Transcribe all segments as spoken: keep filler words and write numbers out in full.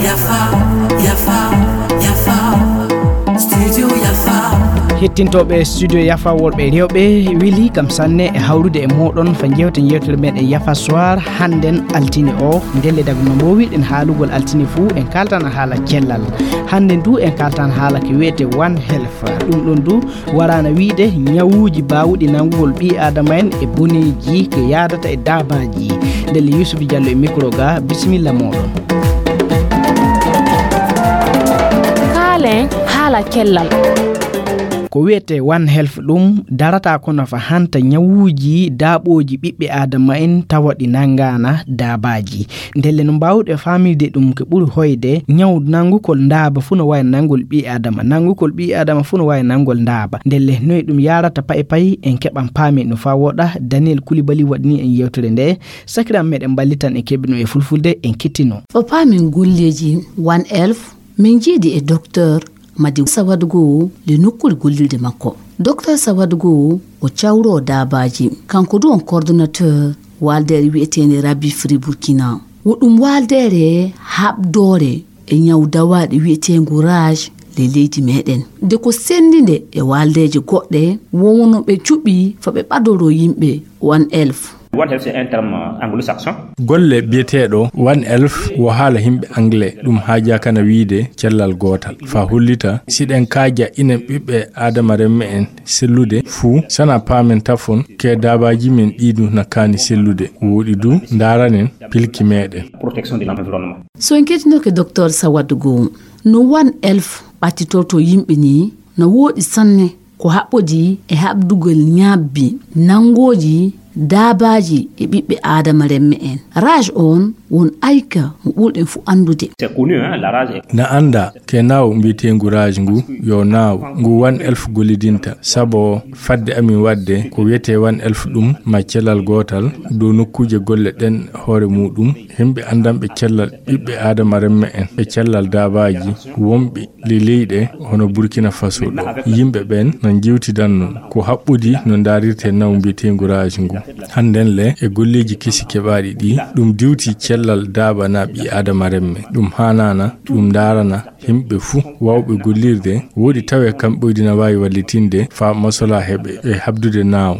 Yafa, yafa, yafa. Studio yafa. Hettintooɓe studio yafa worɓe rewɓe, weli kam sanne e hawrude e mooɗon fa jewte jewtere meɗen yafa soir hannden altine o. Ndelle dagu no mbowirɗen haalugol altine fuu, en kaltan haala cellal. Hannden du en kaltan haala ko wiyete One Health. Ɗum ɗon du waraana wiyde ñawuuji baawuɗi nanngugol ɓii aadama en e boneeji ko yaadata e daabaaji. Ndelle Yusufu Jallo e micro ga, bisimilla mooɗon. Kaalen haala cellal. Ko wiyete One Health ɗum darata kono fa hanta ñawuuji daaɓooji ɓiɓɓe aadama en tawa ɗi nanngaana daabaaji. Ndelle no mbaawɗe faamirde ɗum ko ɓuri hoyde ñaw nanngukol ndaaba fuu no waawi nanngol ɓii aadama, nanngukol ɓii aadama fuu no waawi nanngol ndaaba. Ndelle noy ɗum yaarata payi payi en keɓan paami no faa woɗa. Daniel Koulibaly waɗni en yewtere nde, sakiram meɗen mballitan e keɓino e fulfulde en kittino. O paamin golleeji One Health, min jiidi e docteur Madi Sawadgo le nokkuure gollirde makko. Docteur Sawadgo o cawro daabaaji, kanko du on coordonnateur waaldeere wi'eteende Rabi Free Burkina. Wo ɗum waaldeere haɓdoore e ñaw dawaaɗi wi'eteengu rage le leydi meɗen. De ko senndi nde e waaldeeje goɗɗe, wowono ɓe cuɓi fa ɓe ɓadoro yimɓe One Health. One Health, c'est un terme anglo-saxon. Golle biyeteeɗo One Health wo haala yimɓe anglais, ɗum haajaa kana wiide cellal gootal. Fa hollita, siɗen kaaja inen ɓiɓɓe aadama renme en sellude fuu, sana paamen tafon ke daabaaji men ɗiidu na kaani sellude. Woɗi du, ndaaranen pilki meɗen. Protection de l'environnement. So en kettinoke docteur Sawadgo, no One Health ɓattitorto yimɓe ni, no woɗi sanne ko haɓɓodi e haɓdugol ñabbi nanngooji daabaaji e ɓiɓɓe aadama renme en. Rage on won ayka mo ɓurɗen fuu anndude. C'est connu, hein, la rage est... Na annda ke naaw mbiyeteengu rage ngu yo naaw ngu One Health gollidinta, sabo fadde amin waɗde ko wiyetee One Health ɗum ma cellal gootal dow nokkuuje golle ɗen hoore muuɗum, yimɓe anndanɓe cellal ɓiɓɓe aadama renme en e cellal daabaaji wonɓe le leyɗe hono Burkina Faso ɗo. Yimɓe ɓen no njewtidan non ko haɓɓodi no ndaarirtee naaw mbiyeteengu rage ngu. Hannden le e golleeji kesi keɓaaɗi ɗi, ɗum diwti cellal daaba na ɓii aadama renme. Ɗum haanaana, ɗum ndaarana yimɓe fuu waawɓe gollirde, woɗi tawee kam ɓoydi na waawi wallitinde faa masola heɓe e haɓdude naaw.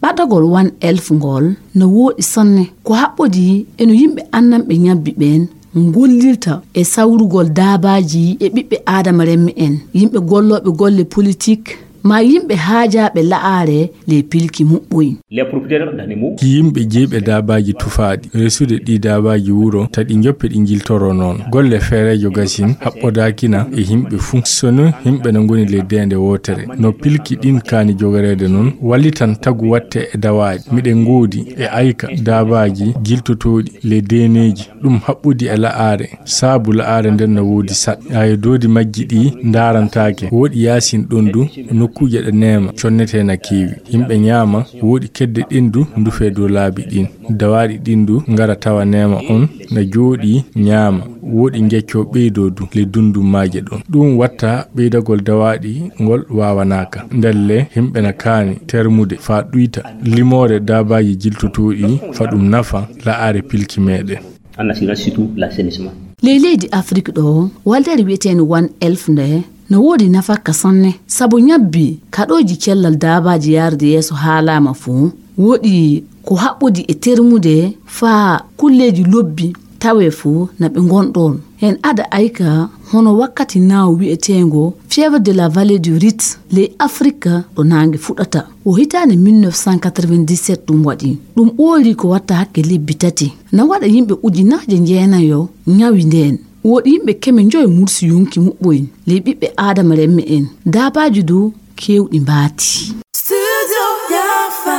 Ɓadagol One Health ngol no woɗi sanne. Ko haɓɓodi e no yimɓe anndanɓe ñabbi ɓen ngollirta e sawrugol daabaaji e ɓiɓɓe aadama renme en, yimɓe gollooɓe golle politik, ma yimɓe haajaaɓe la'aare le pilki muɓɓoy. Les propriétaires d'animaux. Yimɓe jeyɓe daabaaji tufaaɗi, resude ɗi daabaaji wuro, ta ɗi njoppe ɗi njiltoro noon. Golle feereejo gasin haɓɓodaakina e yimɓe fuu. Sono yimɓe no ngoni le deende wootere. No pilki ɗin kaani jogoreede noon, wallitan tagu watte e dawaaɗi. Miɗen ngoodi e ayka daabaaji jiltotooɗi le deeneeji. Ɗum haɓɓodi e la'aare, saabu la'aare nden no woodi saɗ. Ayo doodi majji ɗi ndaarantaake. Woɗi yaasin ɗon du, nokkuuje ɗe neema, connetee na keewi. Yimɓe ñaama, woɗi kedde ɗin du, ndufee dow laabi ɗin. Dawaaɗi ɗin du, ngara tawa neema on, na jooɗi ñaama. Woɗi njeccoo ɓeydoo du, le dundum maaje ɗon. Ɗum watta ɓeydagol dawaaɗi ngol waawanaaka. Ndelle, yimɓe na kaani termude faa ɗuyta limoore daabaaji jiltotooɗi, fa ɗum nafa la'aare pilki meɗen. En assurant surtout l'assainissement. Ley leydi Afrik ɗo, waldere wi'eteende One Health nde no woodi nafakka sanne, sabu ñabbi kaɗooji cellal daabaaji yaarude yeeso haalaama fuu, woodi ko haɓɓodi e termude faa kulleeji lobbi tawee fuu na ɓe ngonɗon. Heen ada ayka hono wakkati naaw wi'eteengo Fièvre de la Vallée du Rift ley Afrika ɗo naange fuɗata. O hitaande mille neuf cent quatre-vingt-dix-sept ɗum waɗi. Ɗum ɓooyri ko watta hakke lebbi tati. Na waɗa yimɓe ujunaaje jeenayo ñawi ndeen. Woodi yimɓe keme njoyo mursi yonki muɓɓoy ley ɓiɓɓe Aadama renme en. Daabaaji du keewɗi mbaati. Studio Yafa.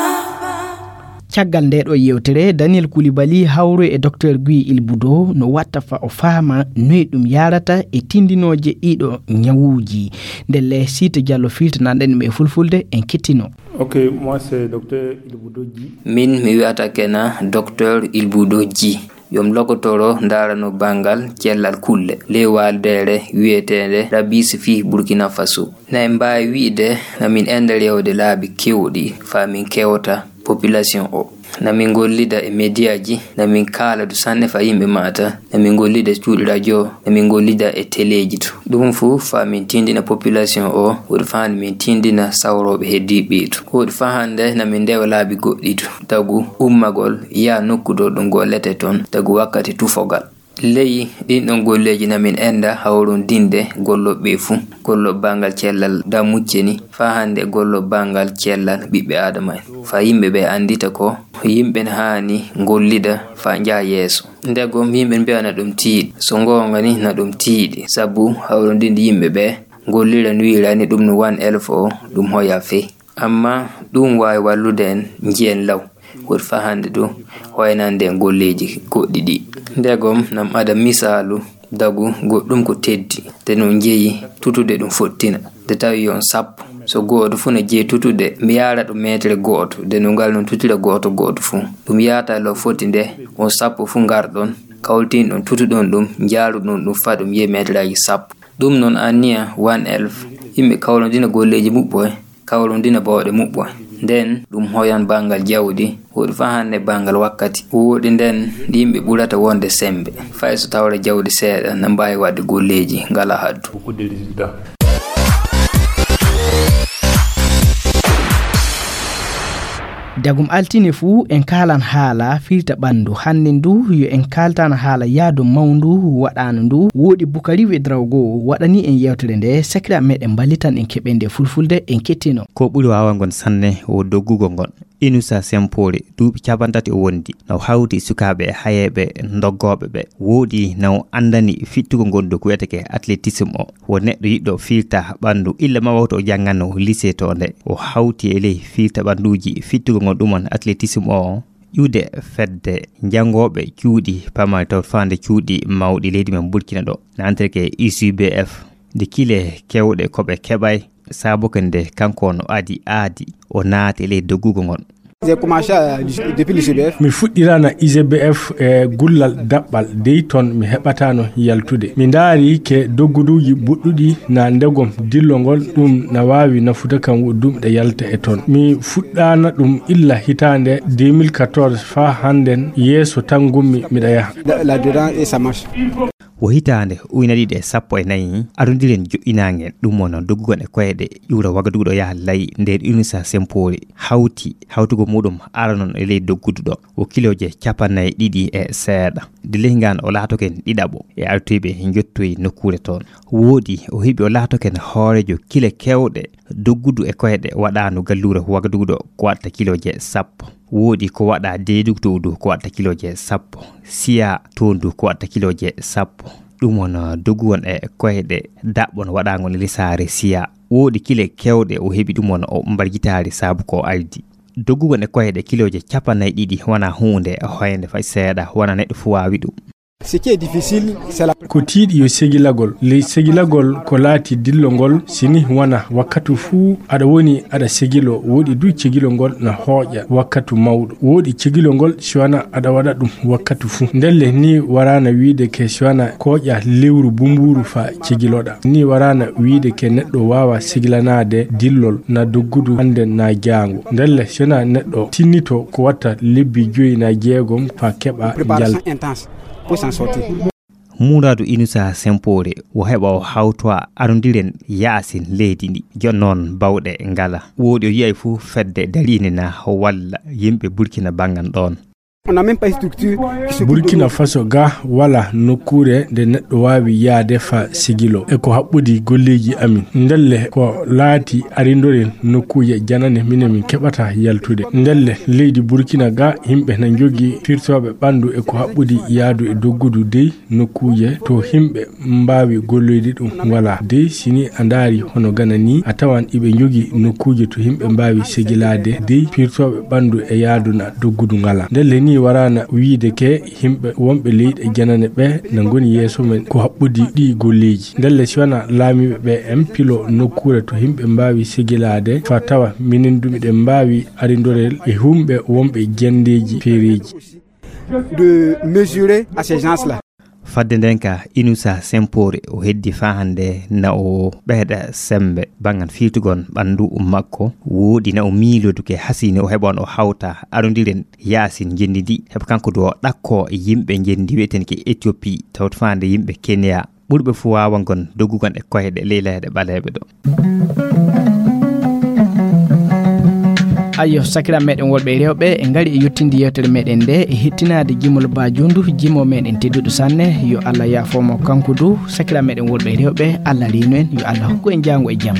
Caggal nde ɗo yewtere, Daniel Koulibaly hawroy e Docteur Guy Ilboudo no watta fa o faama noy ɗum yaarata e tindinooje ɗiɗo ñawuuji. Ndelle Siita Diallo filtanaɗen ɗum e fulfulde en kettino. Ok, moi c'est Docteur Ilboudo Dji. Min mi wi'ata kena Docteur Ilboudo Dji. Yo mi lokotoro ndaarano banngal cellal kulle ley waaldeere wi'eteende Rabis fii Burkina Faso. Na en mbaawi wi'de na min ender yewde laabi keewɗi faa min kewta population o. Na min gollida e mediaji, na min kaala du sanne fa yimɓe maata, na min gollida e cuuɗi radio, na min gollida e teleji du. Ɗum fu fa min tindina population o, woɗi fa hande min tindina sawroɓe heddiɓe du. Woɗi fa hande na min ndewa laabi goɗɗi du. Tagu ummagol, yaa nokku ɗo ɗum gollete ton, tagu wakkati tufogal. Ley ɗin ɗon golleeji na min enda hawrondinde golloɓe fu, gollo bangal cellal da mucceni, fa hande gollo bangal cellal ɓiɓɓe Adama en. Fa yimɓe ɓe andita ko yimɓe na haani gollida fa njaha yeeso. Ndegom yimɓe mbiya na ɗum tiiɗi. So goonga ni na ɗum tiiɗi, sabu hawrondinde yimɓe ɓe gollira no wiirani ɗum no wan elf o, ɗum hoya fey. Amma ɗum waawi wallude en njiyen law. Woɗi fa hande du hoynande en golleeji goɗɗi ɗi. Ndegom nam ada misaalu dagu goɗɗum ko teddi, de no jeyi tutude ɗum fottina. De tawi yo on sappo. So gooto fu no jeyi tutude, mi yaara ɗum meetere gooto, de no ngal non tutira gooto gooto fu. Ɗum yaata lo foti nde on sappo fu ngarɗon, kawtin ɗon tutuɗon ɗum, njaaruɗon ɗum fa ɗum yehi meeteraaji sappo. Ɗum non anniya wan elf, yimɓe kawrondina golleeji muɓɓoy, kawrondina bawɗe muɓɓoy. Nden ɗum hoyan bangal jawdi, woɗi fa hande bangal wakkati. Woɗi nden yimɓe ɓurata wonde sembe. Fay so tawra jawdi seeɗa na mbaawi waɗde golleeji ngala haddu. Dagum altine fuu en kaalan haala firta ɓanndu. Hannde ndu yo en kaaltan haala yaadu mawndu waɗaano ndu. Woodi Bukari Wedraogo waɗani en yewtere nde sakira meɗen mballitan en keɓen nde fulfulde en kettino. Ko ɓuri waawangon sanne o doggugo ngon. Inusa Sempore, duuɓi capantati o wondi, no hawti sukaaɓe e hayeeɓe ndoggooɓe ɓe. Woodi na o anndani fittugol ngondu ko wiyetee athlétisme o. Wo neɗɗo yiɗɗo fiilta ɓanndu, illa ma wawto o janngano lycée to nde. O hawti e ley fiilta ɓannduuji, fittugol ngon ɗum on athlétisme o. Ƴuwde fedde janngooɓe cuuɗi pamari taw faande cuuɗi mawɗi leydi men Burkina ɗo. Na anndetee U C B F, nde kile keewɗe ko ɓe keɓay, sabu ko nde kanko no adi aadi, o naati e ley doggugol ngon. J'ai commencé à, depuis le C B F. Mi fuɗɗirana I G B F e gullal daɓɓal, dey toon mi heɓataano yaltude. Mi ndaari ke dogguduuji buɗɗuɗi na ndegom dillongol, ɗum na waawi nafude kam wo dumɗe yalta e toon. Mi fuɗɗaana ɗum illa hitaande deux mille quatorze faa hannden, yeeso tan ngummi miɗa yaha. Là, là-dedans, et ça marche. Wo hitaande ujine ɗiɗi e sappo e nayi, arondiren joƴƴinaange ɗum won doggugol e koyɗe ƴuura Wagadugu ɗo yaha Layi nder Inusa Sempori hawti hawtugol muɗum aranon e ley doggudu ɗo. Wo kilooje capannay ɗiɗi e seeɗa. Nde ley ngaan o laatoken ɗiɗaɓo e artoyɓe njottoyi nokkuure toon. Woodi o heɓi o laatoken hooreejo kile keewɗe doggudu e koyɗe waɗaano galluure Wagadugu ɗo ko waɗata kilooje sappo. Woodi ko waɗa deedugtowdu ko waɗata kilooje sappo. Siya toondu ko waɗata kilooje sappo. Ɗum won, uh, doguwon e koyɗe daɓɓon waɗaangol lisaare siya. Woodi kile keewɗe o heɓi ɗum won o mbarjitaari sabu ko aydi. Doguwon e koyɗe kilooje capannay ɗiɗi wona huunde hoynde fay seeɗa, wona neɗɗo fuu waawi ɗum. Ce qui est difficile, c'est la... Ko tiiɗi yo segilagol. Ley segilagol ko laati dillongol, si ni wona wakkatu fuu aɗa woni aɗa segilo, woɗi du cegilongol na hooƴa wakkatu mawɗo. Woɗi cegilongol si wona aɗa waɗa ɗum wakkatu fuu. Ndelle ni waraana wiide ke si wona kooƴa lewru bumbuuru fa cegiloɗa. Ni waraana wiide ke neɗɗo waawa segilanaade dillol na doggudu hannde na jaango. Ndelle si wona neɗɗo tinnito ko watta lebbi joyi na jeegom fa keɓa jalta. Préparation intense pour s'en sortir. Muuraadu Inusa Sempore wo heɓa o hawtowa arondiren yaasin leydi ndi. Jooni noon bawɗe ngala. Woodi o yiyay fuu fedde dariinde na walla yimɓe Burkina banngan ɗoon. On n'a même pas une structure qui s'occupe de... Burkina Faso ga wala nokkuure nde neɗɗo waawi yaade fa sigilo. E ko haɓɓodi golleeji amin. Ndelle ko laati arindoren nokkuuje janane minen min keɓata yaltude. Ndelle leydi Burkina ga yimɓe na njogii firtooɓe ɓanndu e ko haɓɓodi yaadu e doggudu dey nokkuuje to yimɓe mbaawi golloyde ɗum walaa. Dey si ni a ndaari hono Gana ni, a tawan iɓe njogii nokkuuje to yimɓe mbaawi segilaade dey pirtooɓe ɓanndu e yaadu na doggudu ngalaa. Ndelle ni waraana wiide ke yimɓe wonɓe leyɗe janane ɓe na ngoni yeeso men ko haɓɓodi ɗii golleeji. Ndelle si wanaa laamiiɓe ɓe en pilo nokkuure to yimɓe mbaawi segilaade fa tawa minen du miɗen mbaawi arindorel e yimɓe wonɓe janndeeji feereeji. De mesurer à ces gens-là. Fadde nden ka Inusa Sempore o heddi faa hannde na o ɓeyda semmbe banngal fiirtugol ɓanndu makko. Wooɗi na o miiloo duke hasii ni o heɓan o hawta arondiren yaasin ngenndi ndi. Heɓa kanko du o ɗakkoo yimɓe ngenndi wi'eten ki Ethiopie, tawta faa hannde yimɓe Kenya. Ɓurɓe fuu waawangol doggugol e koyɗe ley leyɗe ɓaleeɓe ɗo. Ayyo, sakiraaɓe meɗen worɓe e rewɓe, en ngari e yettinde yewtere meɗen nde e hettinaade Jimol Ba Jondu, jimo meɗen tedduɗo sanne. Yo Allah yaafo mo kanko du. Sakiraaɓe meɗen worɓe e rewɓe, Allah reenu en, yo Allah hokku en jaango e jam.